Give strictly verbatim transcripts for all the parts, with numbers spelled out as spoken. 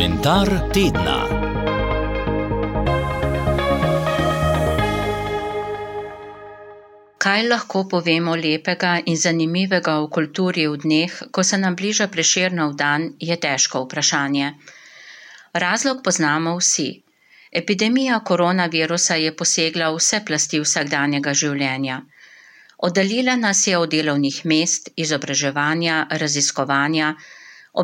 Komentar tedna. Kaj lahko povemo lepega in zanimivega o kulturi v dneh, ko se nam bliža Prešernov dan, je težko vprašanje. Razlog poznamo vsi. Epidemija koronavirusa je posegla v vse plasti vsakdanjega življenja. Oddaljila nas je od delovnih mest, izobraževanja, raziskovanja,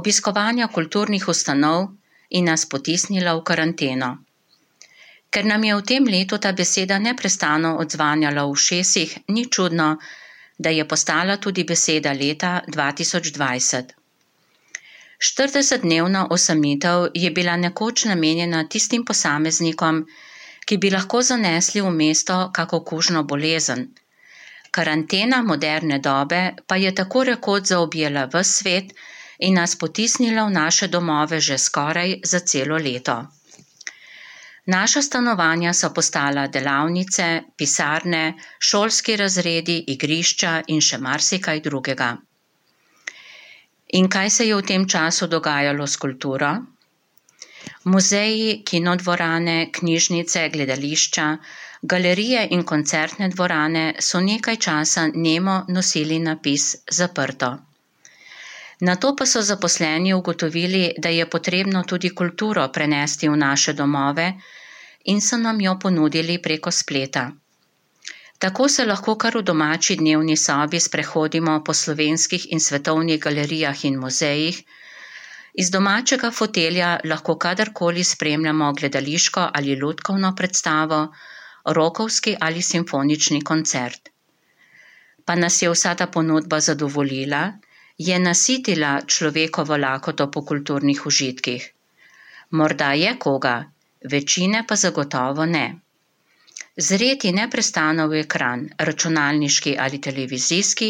obiskovanja kulturnih ustanov in nas potisnila v karanteno. Ker nam je v tem letu ta beseda neprestano odzvanjala v ušesih, ni čudno, da je postala tudi beseda leta dva tisoč dvajset. štiridesetdnevna osamitev je bila nekoč namenjena tistim posameznikom, ki bi lahko zanesli v mesto kako kužno bolezen. Karantena moderne dobe pa je tako rekoč zaobjela ves svet in nas potisnila v naše domove že skoraj za celo leto. Naša stanovanja so postala delavnice, pisarne, šolski razredi, igrišča in še marsikaj drugega. In kaj se je v tem času dogajalo s kulturo? Muzeji, kinodvorane, knjižnice, gledališča, galerije in koncertne dvorane so nekaj časa nemo nosili napis zaprto. Nato pa so zaposleni ugotovili, da je potrebno tudi kulturo prenesti v naše domove in so nam jo ponudili preko spleta. Tako se lahko kar v domači dnevni sobi sprehodimo po slovenskih in svetovnih galerijah in muzejih, iz domačega fotelja lahko kadarkoli spremljamo gledališko ali lutkovno predstavo, rokovski ali simfonični koncert. Pa nas je vsa ta ponudba zadovoljila? Je nasitila človekovo lakoto po kulturnih užitkih? Morda je koga, večine pa zagotovo ne. Zreti neprestano v ekran, računalniški ali televizijski,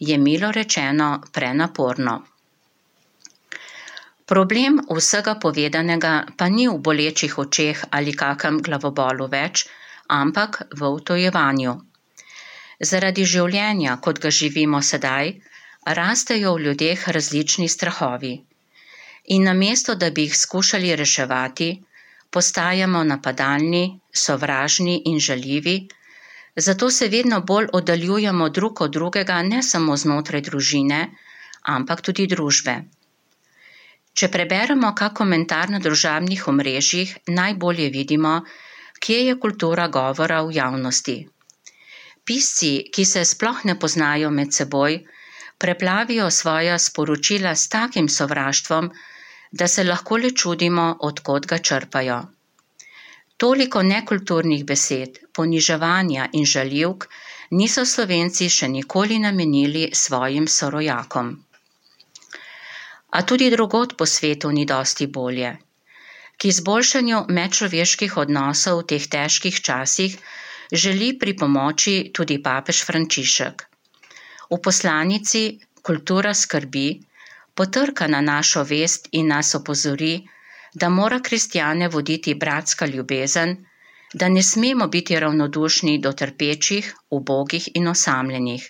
je milo rečeno prenaporno. Problem vsega povedanega pa ni v bolečih očeh ali kakem glavobolu več, ampak v utojevanju. Zaradi življenja, kot ga živimo sedaj, rastejo v ljudeh različni strahovi. In namesto, da bi jih skušali reševati, postajamo napadalni, sovražni in žaljivi, zato se vedno bolj oddaljujemo drug od drugega ne samo znotraj družine, ampak tudi družbe. Če preberemo kak komentar na družabnih omrežjih, najbolje vidimo, kje je kultura govora v javnosti. Pisci, ki se sploh ne poznajo med seboj, preplavijo svoja sporočila s takim sovraštvom, da se lahko le čudimo, od kod ga črpajo. Toliko nekulturnih besed, poniževanja in žaljivk niso Slovenci še nikoli namenili svojim sorojakom. A tudi drugod po svetu ni dosti bolje. K izboljšanju medčloveških odnosov v teh težkih časih želi pripomoči tudi papež Frančišek. V poslanici Kultura skrbi potrka na našo vest in nas opozori, da mora kristjane voditi bratska ljubezen, da ne smemo biti ravnodušni do trpečih, ubogih in osamljenih.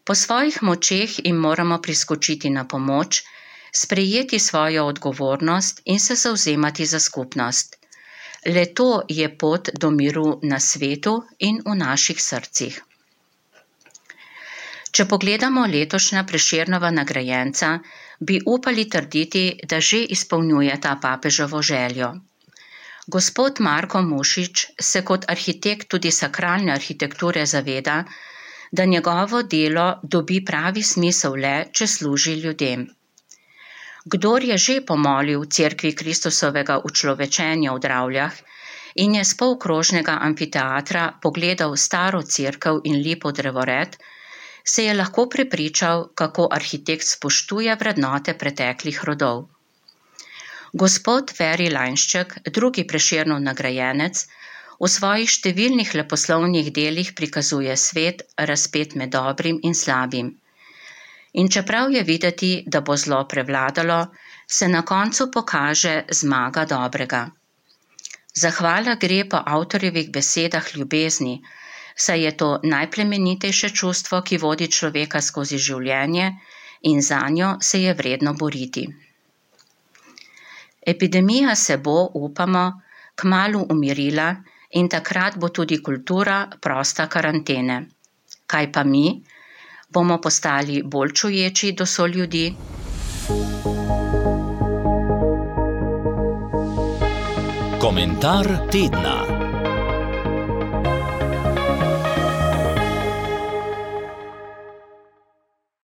Po svojih močeh jim moramo priskočiti na pomoč, sprejeti svojo odgovornost in se zavzemati za skupnost. Le to je pot do miru na svetu in v naših srcih. Če pogledamo letošnja Prešernova nagrajenca, bi upali trditi, da že izpolnjuje ta papeževo željo. Gospod Marko Mušič se kot arhitekt tudi sakralne arhitekture zaveda, da njegovo delo dobi pravi smisel le, če služi ljudem. Kdor je že pomolil v cerkvi Kristusovega učlovečenja v Dravljah in je s polkrožnega amfiteatra pogledal staro cerkev in lipo drevored, se je lahko prepričal, kako arhitekt spoštuje vrednote preteklih rodov. Gospod Feri Lainšček, drugi Prešernov nagrajenec, v svojih številnih leposlovnih delih prikazuje svet, razpet med dobrim in slabim. In čeprav je videti, da bo zlo prevladalo, se na koncu pokaže zmaga dobrega. Zahvala gre po avtorjevih besedah ljubezni, saj je to najplemenitejše čustvo, ki vodi človeka skozi življenje in zanjo se je vredno boriti. Epidemija se bo, upamo, kmalu umirila in takrat bo tudi kultura prosta karantene. Kaj pa mi? Bomo postali bolj čuječi do soljudi? Komentar tedna.